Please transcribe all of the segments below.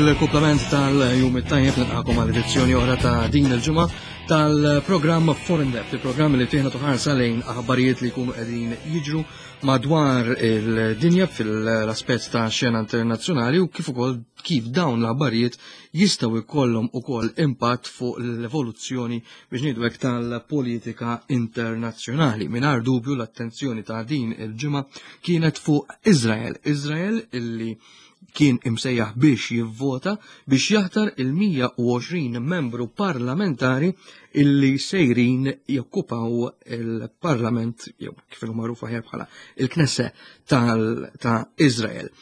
Il-kumplament tal-jum it-tajjeb nilqakom għal edizzjoni oħra ta' din il-ġimgħa tal-programm Foreign Debt, il-programm li fih nagħtu ħarsa lejn aħbarijiet li jkunu qegħdin jiġru madwar il-dinja fil-aspett ta' xena internazzjonali u kif ukoll kif dawn l-aħbarijiet jistgħu jkollhom ukoll impatt fuq l-evoluzzjoni biex ngħidu hekk tal-politika internazzjonali. Mingħajr dubju l-attenzjoni ta' din il-ġimgħa kienet fuq Izrael. Izrael illi kien imsejjaħ biex jivvota biex jaħtar il-120 membru parlamentari illi sejrin jokkupaw il-parlament, jew kif inhu magħruf aħjar bħala il-Knesse ta' Izrael.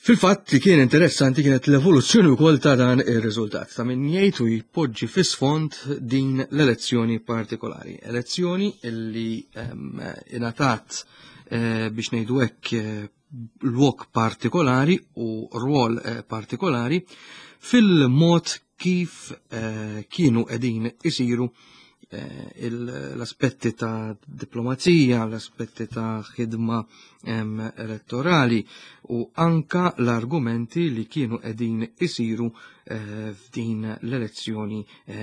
Fil-fatt li kien interessanti kienet l-evoluzzjoni wkoll ta' dan ir-riżultat ta' min jgħid u jpoġġi fi sfond din l-elezzjoni partikolari. Elezzjoni illi ingħatat eh, biex ngħidu hekk eh, lok partikolari u rwol eh, partikolari fil-mod kif eh, kienu qegħdin isiru eh, l-aspetti ta' diplomazija, l-aspetti ta' ħidma elettorali u anka l-argumenti li kienu qegħdin isiru f'din l-elezzjoni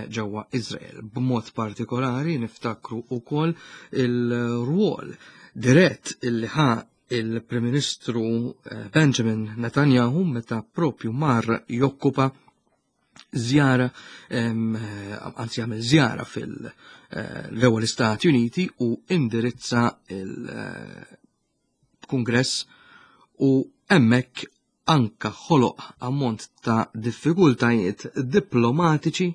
ġewwa Izrael. B'mod partikolari niftakru ukoll il-rwol dirett illi ħa il-Prim Ministru eh, Benjamin Netanyahu meta propju mar jokkupa żjara eh, anzi jagħmel żjara fil-ewwel eh, Istati Uniti u indirizza il-Kungress u hemmhekk anka ħoloq ammont ta' diffikultajiet diplomatiċi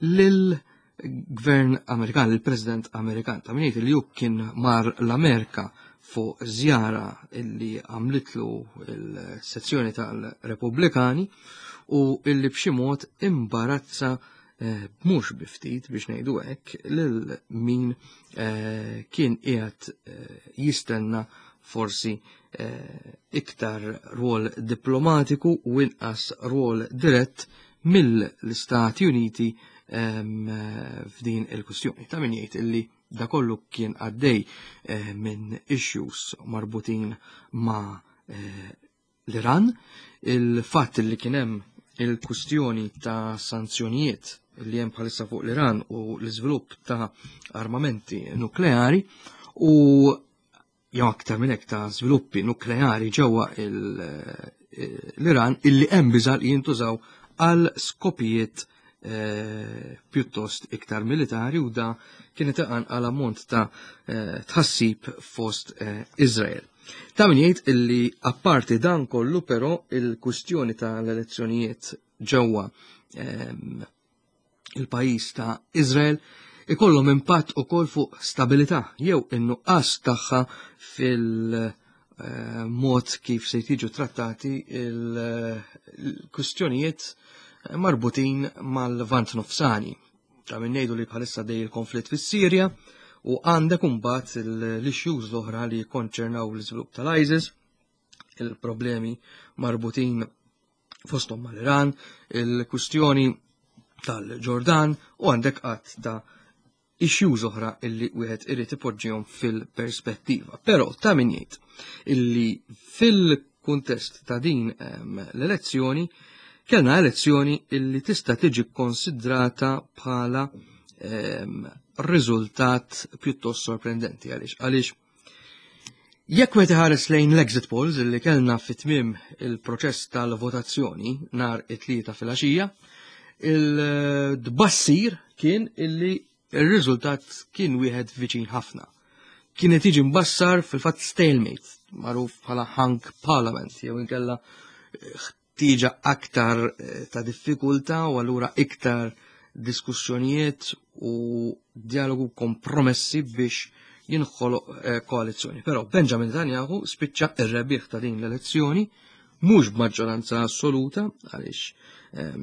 lil gvern Amerikan, il-President Amerikan. Ta' minniet li kien mar l-Amerika fuq żjara illi għamlitlu il-sezzjoni tal-Repubblikani u illi b'xi mod imbarazza eh, mhux biftit biex ngħidu hekk lil min eh, kien qiegħed eh, jistenna forsi iktar rwol diplomatiku u inqas rwol dirett mill-Istati Uniti ehm, f'din il-kwistjoni. Ta' min jgħid illi da kollu kien għaddej eh, minn issues marbutin ma' eh, l-Iran, il-fatt li kien hemm il-kwistjoni ta' sanzjonijiet li hemm bħalissa fuq l-Iran u l-iżvilupp ta' armamenti nukleari u jew aktar minn hekk ta' żviluppi nukleari ġewwa eh, l-Iran illi hemm biża' li jintużaw għal skopijiet eh, pjuttost iktar militari u da kienet għal ammont ta' eh, tħassib fost Izrael. Ta' min jgħid illi apparti dan kollu però il-kwistjoni tal-elezzjonijiet ġewwa ehm, il-pajjiż ta' Izrael ikollhom impatt ukoll fuq stabilità jew in-nuqqas tagħha fil-mod kif se jiġu trattati il-kwistjonijiet marbutin mal-Lvant Nofsani. Ta' min ngħidu li bħalissa dej il-konflitt fis-Sirja u għandek imbagħad l-issues l-oħra li jikkonċernaw l-iżvilupp tal-ISIS, il-problemi marbutin fosthom mal-Iran, il-kwistjoni tal-Ġordan u għandek qatt ta' issues oħra illi wieħed irid ipoġġihom fil-perspettiva. Però ta' min jgħid illi fil-kuntest ta' din ehm, l-elezzjoni kellna elezzjoni illi tista' tiġi konsidrata bħala ehm, riżultat pjuttost sorprendenti għaliex għaliex Jekk wieħed iħares lejn l-exit polls li kellna fi tmiem il-proċess tal-votazzjoni nhar it-tlieta filgħaxija, il-tbassir kien illi ir-riżultat kien wieħed viċin ħafna. Kien qed jiġi mbassar fil-fatt stalemate, magħruf bħala hung parliament jew inkella ħtieġa aktar eh, ta' diffikultà u allura iktar diskussjonijiet u dialogu kompromessi biex jinħoloq eh, koalizzjoni. Però Benjamin Netanyahu spiċċa ir-rebbieħ ta' din l-elezzjoni mhux b'maġġoranza assoluta għaliex eh,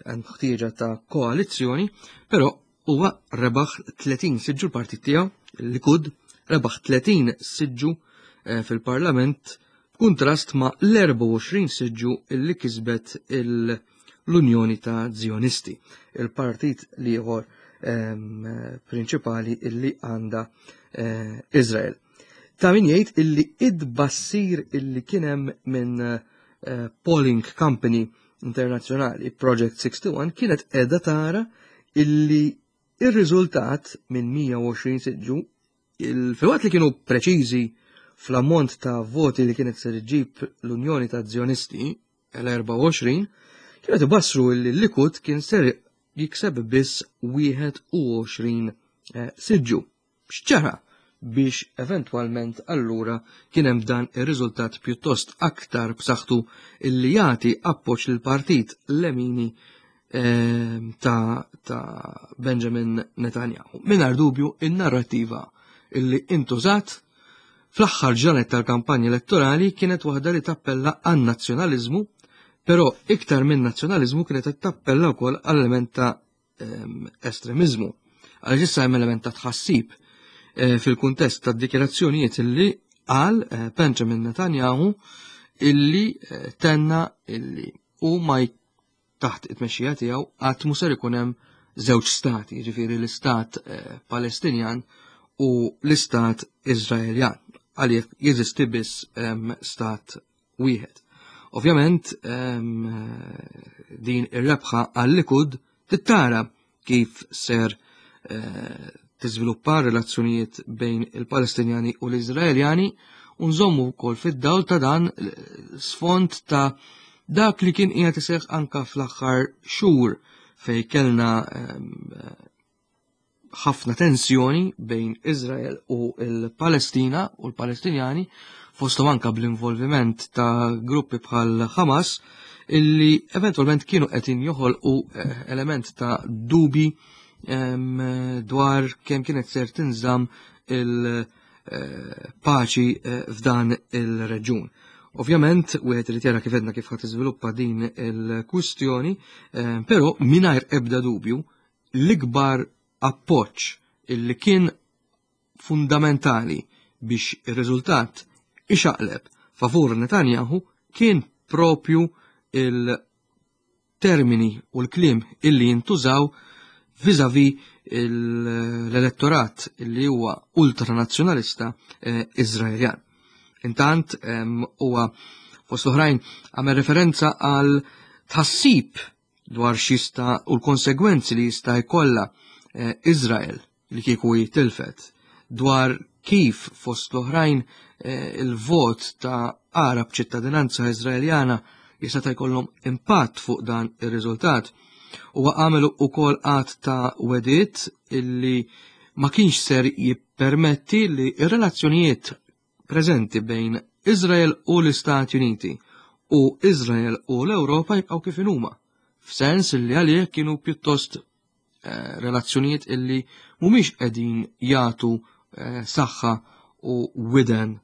hemm ħtieġa ta' koalizzjoni, però huwa rebaħ 30 siġġu l-partit tiegħu, l-Likud, rebaħ 30 siġġu eh, fil-Parlament b'kuntrast ma' l-24 siġġu li kisbet l-Unjoni ta' Zionisti, il-partit l-ieħor ehm, prinċipali illi għandha eh, Izrael. Ta' min jgħid illi id-bassir illi kien hemm minn eh, polling company internazzjonali Project 61 kienet qiegħda tara illi ir-riżultat minn 120 siġġu filwaqt li kienu preċiżi fl-ammont ta' voti li kienet ser iġġib l-Unjoni ta' Zjonisti l-24, kienet ibassru li l-Likud kien ser jikseb biss 21 eh, siġġu. X'ġara biex eventwalment allura kien hemm dan ir-riżultat pjuttost aktar b'saħħtu illi jagħti appoġġ lil partit Lemini ehm, ta', ta Benjamin Netanyahu. Mingħajr dubju in-narrattiva illi intużat fl-aħħar ġranet tal-kampanja elettorali kienet waħda li tappella għan-nazzjonaliżmu, però iktar minn nazzjonaliżmu kienet tappella wkoll għall-element ta' ehm, estremiżmu. Għaliex issa hemm element ta' tħassib eh, fil-kuntest ta' dikjarazzjonijiet illi qal eh, Benjamin Netanyahu illi eh, tenna illi u ma taħt it-tmexxija tiegħu qatt mhu ser ikun hemm żewġ stati, jiġifieri l-istat Palestinjan u l-istat Iżraeljan. Għalih jeżisti biss ehm, stat wieħed. Ovvjament ehm, din ir-rebħa għal-Likud tittara kif ser eh, tiżviluppa relazzjonijiet bejn il-Palestinjani u l-Iżraeljani u nżommu wkoll fid-dawl ta' dan sfond ta' dak li kien qiegħed iseħħ anka fl-aħħar xhur fej kellna ehm, ħafna tensjoni bejn Izrael u l-Palestina u l-Palestinjani fosthom anka bl-involviment ta' gruppi bħal Hamas illi eventualment kienu qed joħolqu eh, element ta' dubi dwar kemm kienet ser tinżamm il-paċi eh, eh, f'dan il-reġjun. Ovvjament, wieħed irid jara kif edna kif ħadd iżviluppa din il-kwistjoni, però mingħajr ebda dubju l-ikbar appoġġ illi kien fundamentali biex ir-riżultat ixaqleb favur Netanyahu kien propju il-termini u l-kliem illi jintużaw vizavi l-elettorat illi huwa ultranazzjonalista eh, Iżraeljan. Intant huwa fost oħrajn għamel referenza għal tħassib dwar x'jista' u l-konsegwenzi li jista' jkollha eh, Izrael li kieku jitilfet dwar kif fost l-oħrajn eh, il-vot ta' Arab ċittadinanza Izraeljana jista' ta' jkollhom impatt fuq dan ir-riżultat. Huwa għamel ukoll qatt ta' wedit illi ma kienx ser jippermetti li r-relazzjonijiet preżenti bejn Iżrael u l-Istati Uniti u Iżrael u l-Ewropa jibqgħu kif inhuma, f'sens li għalih kienu pjuttost eh, relazzjonijiet illi mhumiex qegħdin jagħtu eh, saħħa u widen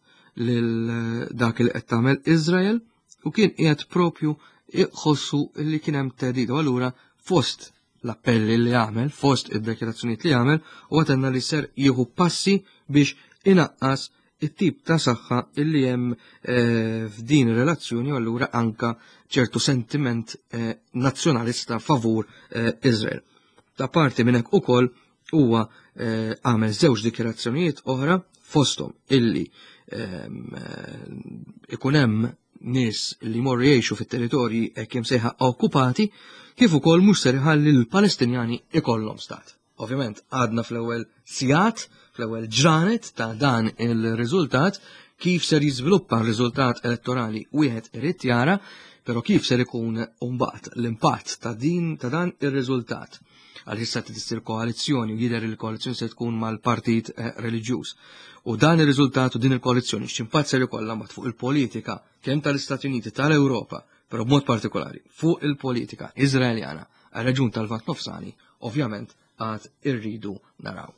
lil eh, dak li qed tagħmel Iżrael u kien qiegħed propju iħossu li kien hemm theddid u allura fost l-appelli li għamel, fost id-dekirazzjonijiet li għamel, u għatenna li ser jieħu passi biex inaqqas it-tip ta' saħħa illi hemm eh, f'din ir-relazzjoni u allura anka ċertu sentiment eh, nazzjonalista favur eh, Izrael. Ta' parti minn hekk ukoll huwa għamel żewġ dikjarazzjonijiet oħra fosthom illi ehm, ikun hemm nies li morru jgħixu fit-territorji hekk imsejħa okkupati, kif ukoll mhux ser iħalli l-Palestinjani ikollhom stat. Ovvjament għadna fl-ewwel sigħat, fl-ewwel ġranet ta' dan il-riżultat, kif ser jiżviluppa r-riżultat elettorali wieħed irid jara, però kif ser ikun mbagħad l-impatt ta' din ta' dan ir-riżultat għal issa tissir koalizzjoni u jidher il-koalizzjoni se tkun mal-partit eh, reliġjuż. U dan ir-riżultat u din il-koalizzjoni x'impatt ser ikollha mbagħad fuq il-politika kemm tal-Istati Uniti tal-Ewropa, però b'mod partikolari fuq il-politika Iżraeljana għar-reġun tal-Lvant Nofsani, ovvjament għad irridu naraw.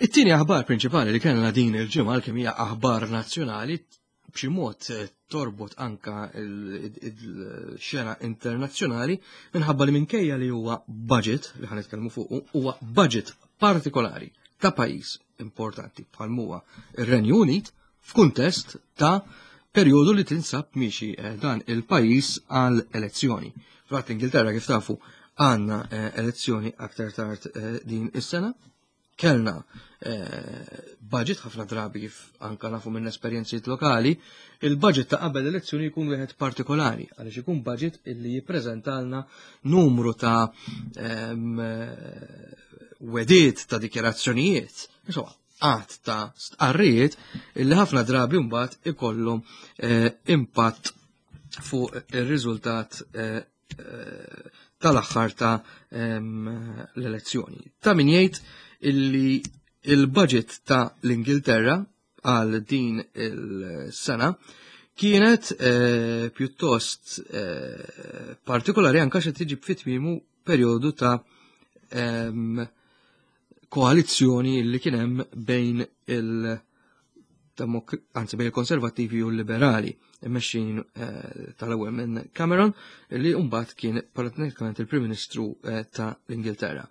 It-tieni aħbar prinċipali li kellna din il-ġimgħa kemm hija aħbar nazzjonali b'xi mod eh, torbot anka il-xena internazzjonali minħabba li minkejja li huwa budget li ħan nitkellmu fuq huwa budget partikolari ta' pajjiż importanti bħal huwa ir-Renju Unit. F'kuntest ta' perjodu li tinsab miexi eh, dan il-pajjiż għal elezzjoni. Fl Ingilterra kif tafu għandna eh, elezzjoni aktar tard eh, din is-sena. Kellna budget ħafna drabi kif anka nafu minn esperjenzijiet lokali, il-budget ta' qabel elezzjoni jkun wieħed partikolari, għaliex ikun budget illi jippreżentalna numru ta' ehm, wediet ta' dikjarazzjonijiet. Insomma, għadd ta' stqarrijiet illi ħafna drabi mbagħad ikollhom eh, impatt fuq ir-riżultat eh, eh, tal-aħħar ta' ehm, l-elezzjoni. Ta' min jgħid illi il-budget ta' l-Ingilterra għal din il-sena kienet pjuttost partikolari anka xe tiġi fit-tmiemu perjodu ta' ehm, koalizzjoni li kien hemm bejn il anzi bejn il-konservattivi u l-liberali immexxin eh, tal-ewwel minn Cameron li mbagħad kien pratikament il-Prim Ministru eh, ta' l-Ingilterra.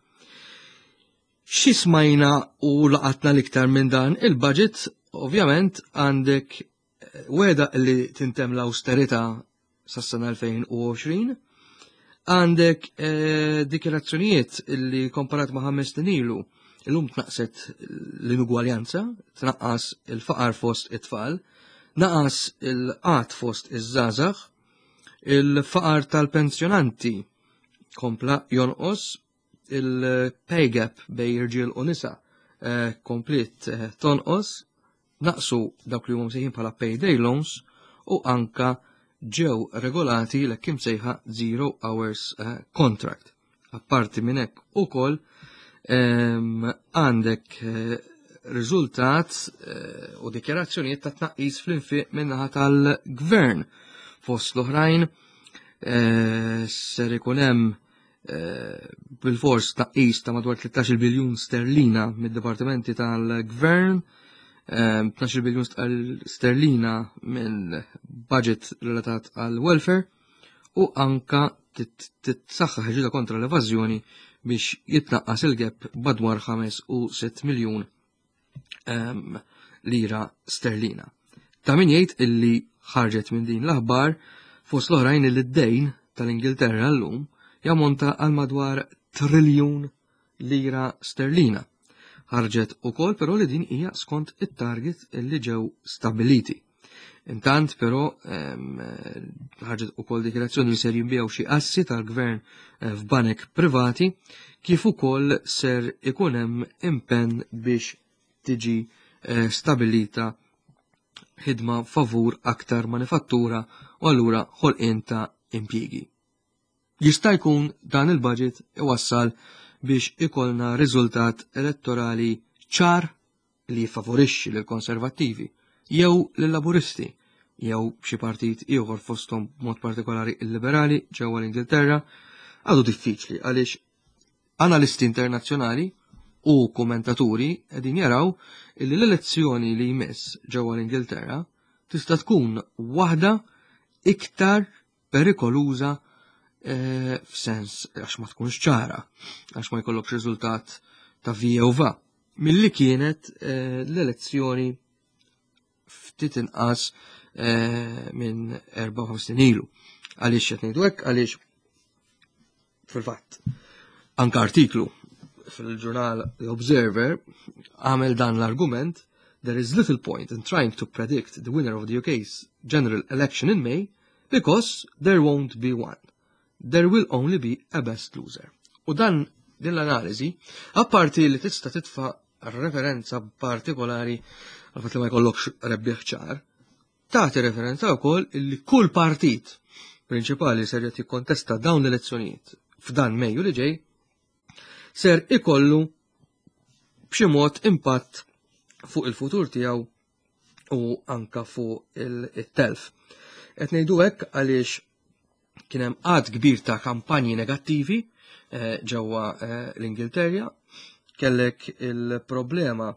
Xi smajna u laqatna l-iktar minn dan il-budget, ovvjament għandek eh, weda li tintem l-austerità sas-sena 2020, għandek eh, dikjarazzjonijiet li komparat ma' ħames snin ilu, illum tnaqset l-inugwaljanza, tnaqqas il-faqar fost it-tfal, naqas il-qat fost iż-żgħażagħ, il-faqar tal-pensjonanti kompla jonqos, il-pay gap bej irġiel u nisa eh, komplet eh, tonqos, naqsu dawk li huma msejħin bħala payday loans u anka ġew regolati l kim sejħa zero hours eh, contract. Apparti minn hekk ukoll ehm, għandek riżultat u dikjarazzjonijiet ta' tnaqqis fl-infiq min-naħa tal-gvern. Fost l-oħrajn ser ikun hemm Eh, bil-fors tnaqqis ta' madwar 13 biljun sterlina mid-dipartimenti tal-gvern, 12 eh, biljun sterlina minn budget relatat għal welfare u anka titsaħħaħ ġida kontra l-evażjoni biex jitnaqqas il-gap madwar 5 u 6 miljun ehm, lira sterlina. Ta' min jgħid illi ħarġet minn din l-aħbar fost l-oħrajn illi d-dejn tal-Ingilterra llum jammonta għal madwar triljun lira sterlina. Ħarġet ukoll però li din hija skont it-target illi ġew stabiliti. Intant però ehm, ħarġet ukoll dikjarazzjoni li ser jinbiegħu xi assi tal-gvern eh, f'banek privati kif ukoll ser ikun hemm impenn biex tiġi eh, stabilita ħidma favur aktar manifattura u allura ħolqien ta' impjiegi. Jista' jkun dan il-budget iwassal biex ikollna riżultat elettorali ċar li jiffavorixxi lill-Konservattivi jew lill-Laburisti jew xi partit ieħor fosthom b'mod partikolari il-Liberali ġewwa l-Ingilterra għadu diffiċli għaliex analisti internazzjonali u kommentaturi qegħdin jaraw li l-elezzjoni li jmiss ġewwa l-Ingilterra tista' tkun waħda iktar perikoluża eh, f'sens għax ma tkunx ċara, għax ma jkollokx riżultat ta' vija u va. Milli kienet eh, l-elezzjoni ftit inqas eh, minn 54 ilu. Għaliex qed ngħidu hekk għaliex fil-fatt anka artiklu fil-ġurnal The Observer għamel dan l-argument there is little point in trying to predict the winner of the UK's general election in May because there won't be one. There will only be a best loser. U dan din l-analiżi, apparti li tista' titfa' referenza partikolari għal fatt li ma jkollokx rebbieħ ċar, tagħti referenza wkoll li kull partit prinċipali ser qed jikkontesta dawn l-elezzjonijiet f'dan Mejju li ġej ser ikollu b'xi mod impatt fuq il-futur tiegħu u anka fuq il-telf. Qed ngħidu hekk għaliex kien hemm għadd kbir ta' kampanji negattivi eh, ġewwa eh, l-Ingilterja, kellek il-problema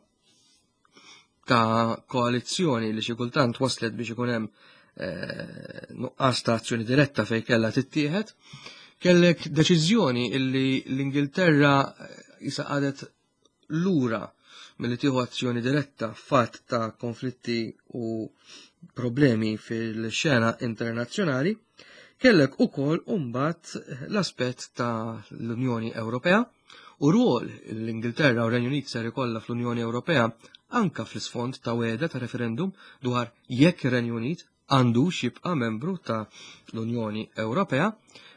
ta' koalizzjoni li xi kultant waslet biex ikun hemm eh, nuqqas ta' azzjoni diretta fejn kellha tittieħed. Kellek deċiżjoni illi l-Ingilterra jisa qadet lura. milli tieħu azzjoni diretta f'fatt ta' konflitti u problemi fil-xena internazzjonali, kellek ukoll imbagħad l-aspett ta' l-Unjoni Ewropea u rwol l-Ingilterra u Renju Unit ser ikollha fl-Unjoni Ewropea anka fl-isfond ta' weda ta' referendum dwar jekk ir-Renju Unit għandux jibqa' membru ta' l-Unjoni Ewropea,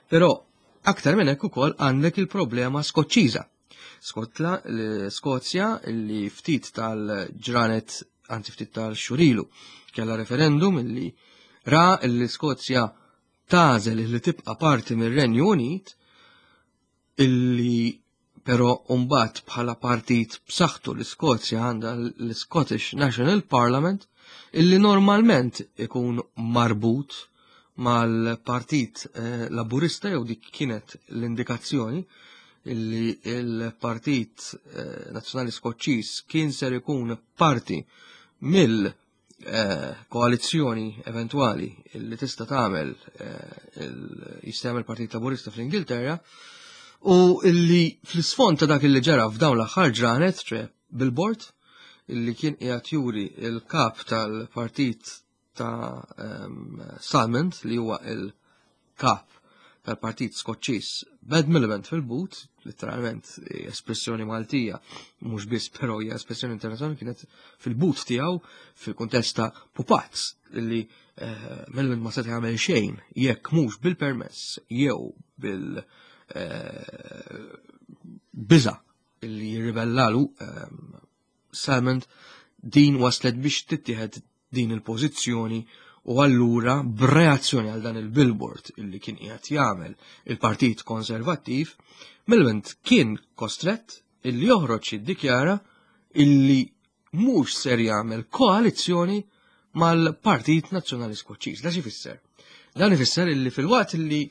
però aktar minn hekk ukoll għandek il-problema Skoċċiża. Skotla, l-Skozja li ftit tal-ġranet, anzi ftit tal-xurilu, kella referendum illi ra l-Skozja tagħżel li tibqa' parti mir-Renju Unit illi però mbagħad bħala partit b'saħħtu l-Iskozja għandha l-Scottish National Parliament illi normalment ikun marbut mal-Partit eh, Laburista jew dik kienet l-indikazzjoni illi il-Partit eh, Nazzjonali Skoċċiż kien ser ikun parti mill eh, koalizzjoni eventwali li tista' tagħmel jista' jagħmel Partit Laburista fl-Ingilterra u illi fl-isfond ta' dak illi ġara f'dawn l-aħħar ġranet, ċe billboard, illi kien qiegħed juri il-kap tal-Partit ta' Salmond li huwa il-kap tal-Partit Skoċċiż Bad Miliband fil-but, letteralment espressjoni Maltija, mhux biss però hija espressjoni internazzjonali kienet fil-but tiegħu fil-kuntest ta' pupazz li eh, Miliband ma seta' jagħmel xejn jekk mhux bil-permess jew bil eh, biża li jirribellalu Salmond din waslet biex tittieħed din il-pożizzjoni u allura b'reazzjoni għal dan il-billboard illi kien qiegħed jagħmel il-Partit Konservattiv, Miliband kien kostrett illi joħroġ jiddikjara illi mhux ser jagħmel koalizzjoni mal-Partit Nazzjonali Skoċċiż. Da xi Dan ifisser illi fil-waqt illi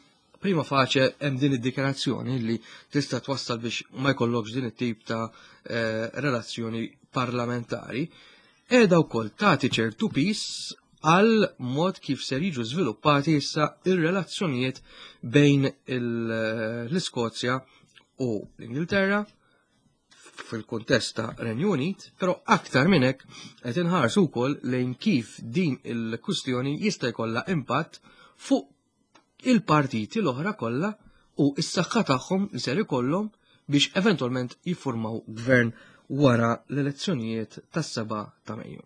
prima facie hemm din id-dikjarazzjoni li tista' twassal biex ma jkollokx din it-tip ta' eh, relazzjoni parlamentari, qiegħda wkoll tagħti ċertu pis għal mod kif ser jiġu żviluppati issa ir-relazzjonijiet bejn l-Iskozja u l-Ingilterra fil-kuntest ta' Renju Unit, però aktar minn hekk qed inħarsu wkoll lejn kif din il-kwistjoni jista' jkollha impatt fuq il-partiti l-oħra kollha u s-saħħa tagħhom li ser ikollhom biex eventwalment jiffurmaw gvern wara l-elezzjonijiet tas-7 ta' Mejju.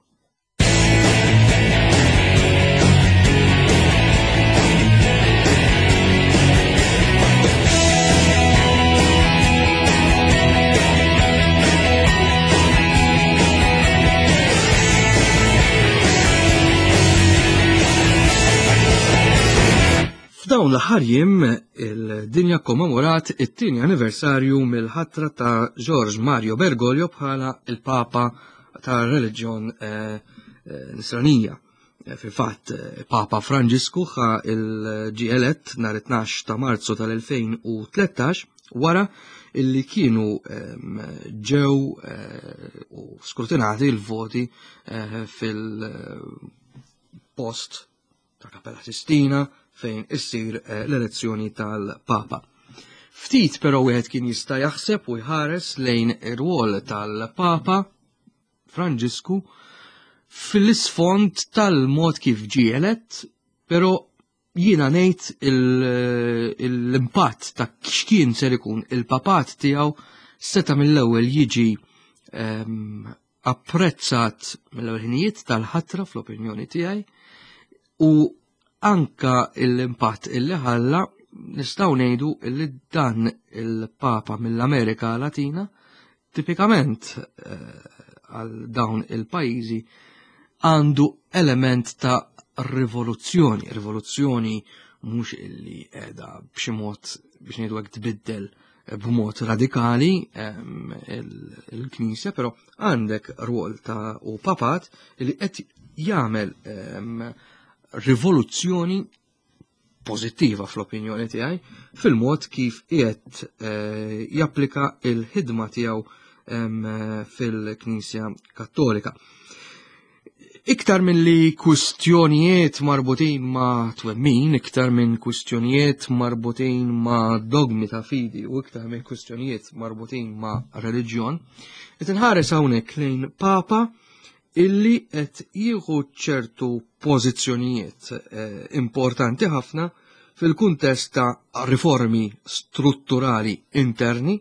F'dawn l-aħħar jiem il-dinja kommemorat it-tieni anniversarju mill-ħatra ta' George Mario Bergoglio bħala il-Papa tar-reliġjon eh, eh, Nisranija. Eh, fil-fatt, Papa Franġisku ħa il-ġie elett nhar 12 ta' Marzu tal-2013 wara illi kienu ehm, ġew u skrutinati l-voti fil-post ta' Kapella Sistina fejn issir eh, l-elezzjoni tal-Papa. Ftit però wieħed kien jista' jaħseb u jħares lejn ir-rwol tal-Papa Franġisku fil-isfond tal-mod kif ġie elett, però jiena ngħid l-impatt ta' x'kien ser ikun il-papat tiegħu seta' mill-ewwel jiġi ehm, apprezzat mill-ewwel ħinijiet tal-ħatra fl-opinjoni tiegħi u anka l-impatt illi ħalla nistgħu ngħidu illi dan il-Papa mill-Amerika Latina tipikament eh, għal dawn il-pajjiżi għandu element ta' rivoluzzjoni, rivoluzzjoni mhux illi qiegħda b'xi mod biex ngħidu hekk tbiddel b'mod radikali il-Knisja, però għandek rwol ta' u papat li qed jagħmel rivoluzzjoni pożittiva fl-opinjoni tiegħi fil-mod kif qiegħed eh, japplika il-ħidma tiegħu fil-Knisja Kattolika. Iktar milli kwistjonijiet marbutin ma' twemmin, iktar minn kwistjonijiet marbutin ma' dogmi ta' fidi u iktar minn kwistjonijiet marbutin ma' reliġjon, qed inħares hawnhekk lejn Papa illi qed jieħu ċertu pożizzjonijiet eh, importanti ħafna fil-kuntest ta' riformi strutturali interni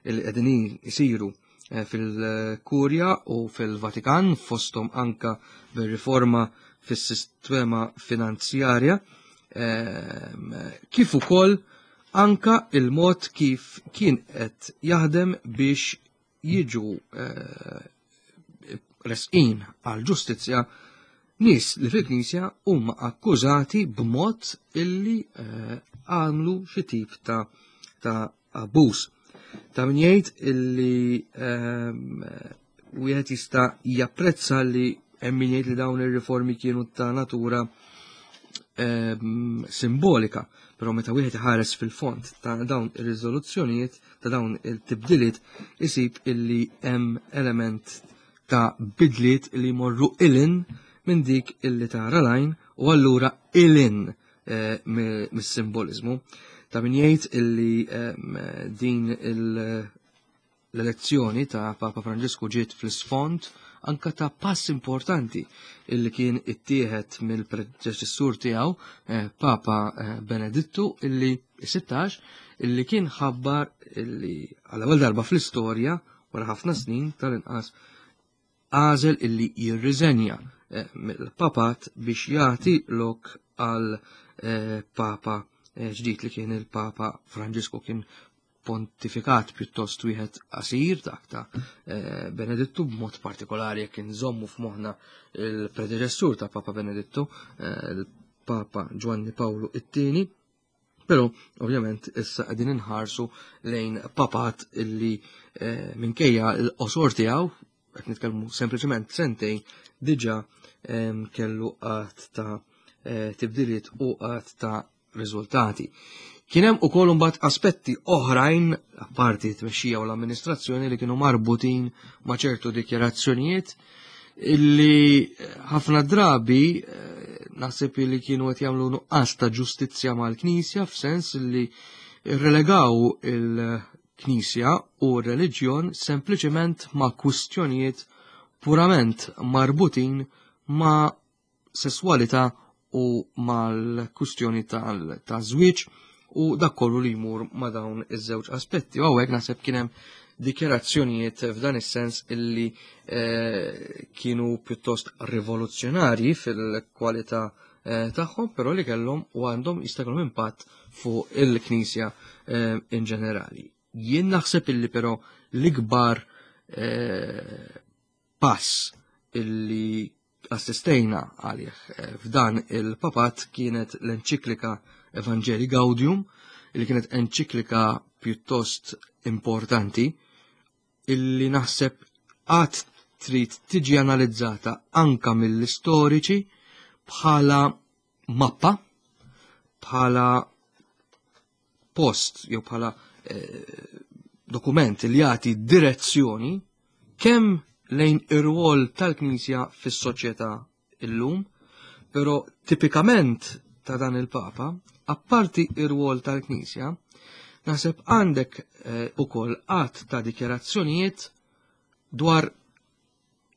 illi qegħdin isiru eh, fil-Kurja u fil-Vatikan fosthom anka bir-riforma fis-sistema finanzjarja ehm, kif ukoll anka il-mod kif kien qed jaħdem biex jiġu eh, resqin għal ġustizzja nies li fil-Knisja huma akkużati b'mod illi eh, għamlu xi tip ta' ta' abbuż. Ta' min jgħid illi ehm, wieħed jista' japprezza li hemm min jgħid li dawn ir-riformi kienu ta' natura ehm, simbolika, però meta wieħed iħares fil-fond ta' dawn ir-riżoluzzjonijiet ta' dawn il-tibdiliet isib illi hemm element ta' bidliet li jmorru ilin minn dik illi tara lajn u allura ilin eh, mis-simbolizmu. Ta' min jgħid illi ehm, din l-elezzjoni ta' Papa Franġisku ġiet fl-isfond anka ta' pass importanti illi kien ittieħed mill-predeċessur tiegħu eh, Papa eh, Benedittu illi 16 illi kien ħabbar illi għal ewwel darba fl-istorja wara ħafna snin tal-inqas għażel illi jirriżenja eh, mill-papat biex jagħti lok għal eh, papa eh, ġdid li kien il-Papa Franġisku kien pontifikat pjuttost wieħed qasir dak ta' Benedittu b'mod partikolari jekk inżommu f'moħħna il-predeċessur ta' Papa Benedittu, il-Papa Ġwanni Pawlu it-tieni. Però ovvjament issa qegħdin inħarsu lejn papat illi eh, minkejja l-qosor tiegħu qed nitkellmu sempliċement sentejn diġà ehm, kellu qatt ta' eh, tibdiliet u qatt ta' riżultati. Kien hemm ukoll imbagħad aspetti oħrajn apparti t-tmexxija u l-amministrazzjoni li kienu marbutin ma' ċertu dikjarazzjonijiet illi ħafna drabi eh, naħseb li kienu qed jagħmlu nuqqas ta' ġustizzja mal-Knisja f'sens li relegaw il-Knisja u r-reliġjon sempliċement ma' kwistjonijiet purament marbutin ma' sesswalità u mal-kwistjoni ta' żwieġ u dak kollu li jmur ma' dawn iż-żewġ aspetti. U hawnhekk naħseb kien hemm dikjarazzjonijiet f'dan is-sens illi eh, kienu pjuttost rivoluzzjonarji fil-kwalità eh, tagħhom, però li kellhom u għandhom jista' jkollhom impatt fuq il-Knisja eh, in ġenerali. Jien naħseb illi però l-ikbar pass illi assistejna għalih eh, f'dan il-papat kienet l-enċiklika Evangelii Gaudium, illi kienet enċiklika pjuttost importanti, illi naħseb għad trid tiġi analizzata anka mill-istoriċi bħala mappa, bħala post jew bħala eh, dokument li jagħti direzzjoni kemm lejn ir-rwol tal-Knisja fis-soċjetà illum, però tipikament ta' dan il-Papa, apparti ir-rwol tal-Knisja, naħseb għandek eh, ukoll qatt ta' dikjarazzjonijiet dwar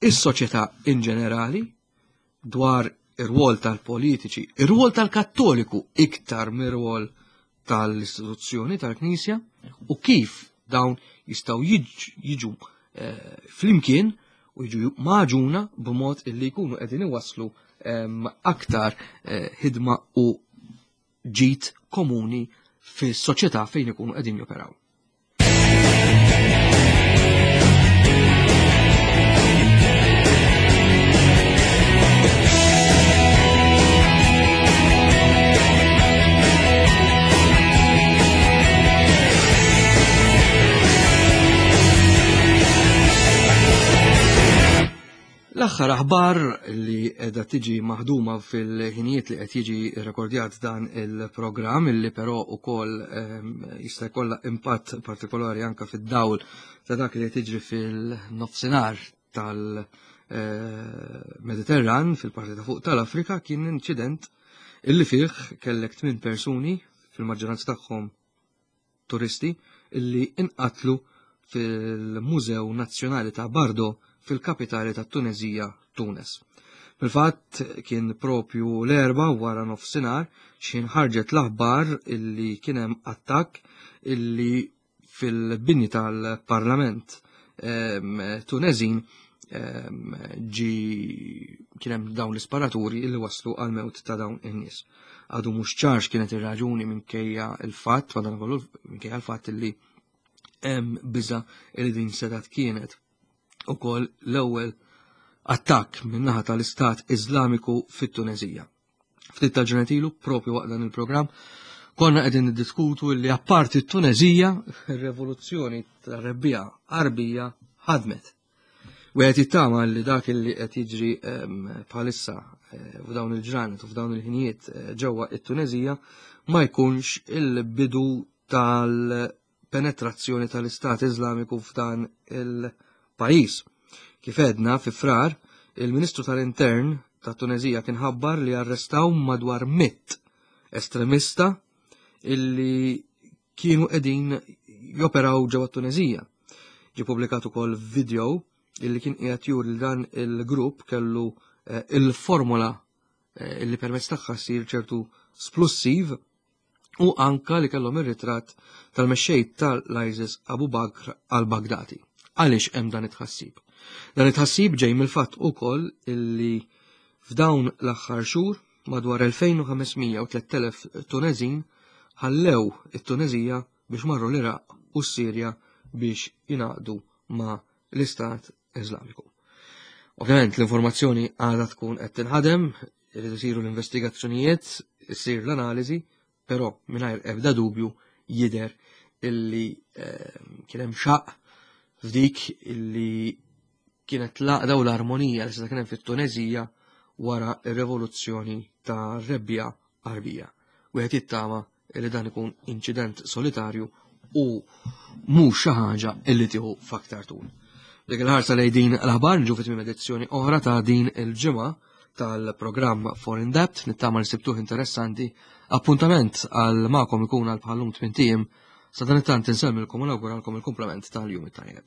is-soċjetà in ġenerali, dwar ir-rwol tal-politiċi, ir-rwol tal-Kattoliku iktar mir-rwol tal-istituzzjoni tal-Knisja u kif dawn jistgħu jiġu eh, flimkien u jiġu maġuna b'mod illi jkunu qegħdin iwasslu ehm, aktar eh, ħidma u ġid komuni fis-soċjetà fejn ikunu qegħdin joperaw. L-aħħar aħbar li qiegħda tiġi maħduma fil-ħinijiet li qed jiġi rekordjat dan il-programm illi però ukoll ehm, jista' jkollha impatt partikolari anke fid-dawl ta' dak li qed jiġri fil-nofsinhar tal- Mediterran fil-parti ta' fuq tal-Afrika kien inċident illi fih kellek tmien persuni fil-maġġoranza tagħhom turisti illi inqatlu fil-Mużew Nazzjonali ta' Bardo fil-kapitali ta' Tunezija, Tunes. Fil-fatt kien propju l-erba wara nofsinhar x'ħin ħarġet l-aħbar illi kien hemm attakk illi fil-bini tal-Parlament Tunezin ġi kien hemm dawn l-isparaturi illi waslu għal mewt ta' dawn in-nies. Għadu mhux ċar x'kienet ir-raġuni minkejja l-fatt, madankollu minkejja l-fatt illi hemm biża' li din setat kienet ukoll l-ewwel attakk min-naħa tal-Istat Iżlamiku fit-Tunezija. Ftit ta' ġranet ilu, propju waqt dan il-programm, konna qegħdin niddiskutu li apparti t-Tunezija, ir-revoluzzjoni tar-rebbija Arbija ħadmet. Wieħed jittama li dak li qed jiġri ehm, bħalissa eh, f'dawn il-ġranet u f'dawn il-ħinijiet eh, ġewwa it-Tunezija ma jkunx il-bidu tal-penetrazzjoni tal-Istat Iżlamiku f'dan il-pajjiż. Kif edna fi frar, il-Ministru tal-Intern ta' Tunezija kien ħabbar li arrestaw madwar mitt estremista illi kienu qegħdin joperaw ġewwa Tunezija. Ġie publikat ukoll video illi kien qiegħed juri li dan il-grupp kellu eh, il-formola eh, illi permezz tagħha ssir ċertu splussiv u anka li kellhom ir-ritratt tal-mexxej tal-ISIS Abu Bakr al-Baghdadi. Għaliex hemm dan it-tħassib? Dan it-tħassib ġej mill-fatt ukoll illi f'dawn l-aħħar xhur madwar 2500 u 3000 Tunezin ħallew it-Tunezija biex marru l-Iraq u s-Sirja biex jingħaqdu ma' l-Istat Iżlamiku. Ovvjament l-informazzjoni għadha tkun qed tinħadem, irid isiru l-investigazzjonijiet, issir l-analiżi, però mingħajr ebda dubju jidher illi eh, kien hemm xaq f'dik illi kienet l-għaqda u l-armonija li seta' kien hemm fit-Tunezija wara r-revoluzzjoni ta' rebbija Arbija. Wieħed jittama li dan ikun inċident solitarju u mhux xi ħaġa illi tieħu f'aktar tul. Dik il-ħarsa lejn din l-aħbar nġu fit edizzjoni oħra ta' din il-ġimgħa tal-programm Foreign Debt nittama li sibtuh interessanti. Appuntament għal magħkom ikun għal bħallum tmien sa dan it-tant insemmilkom u nawguralkom il-kumplament tal-jum it-tajjeb.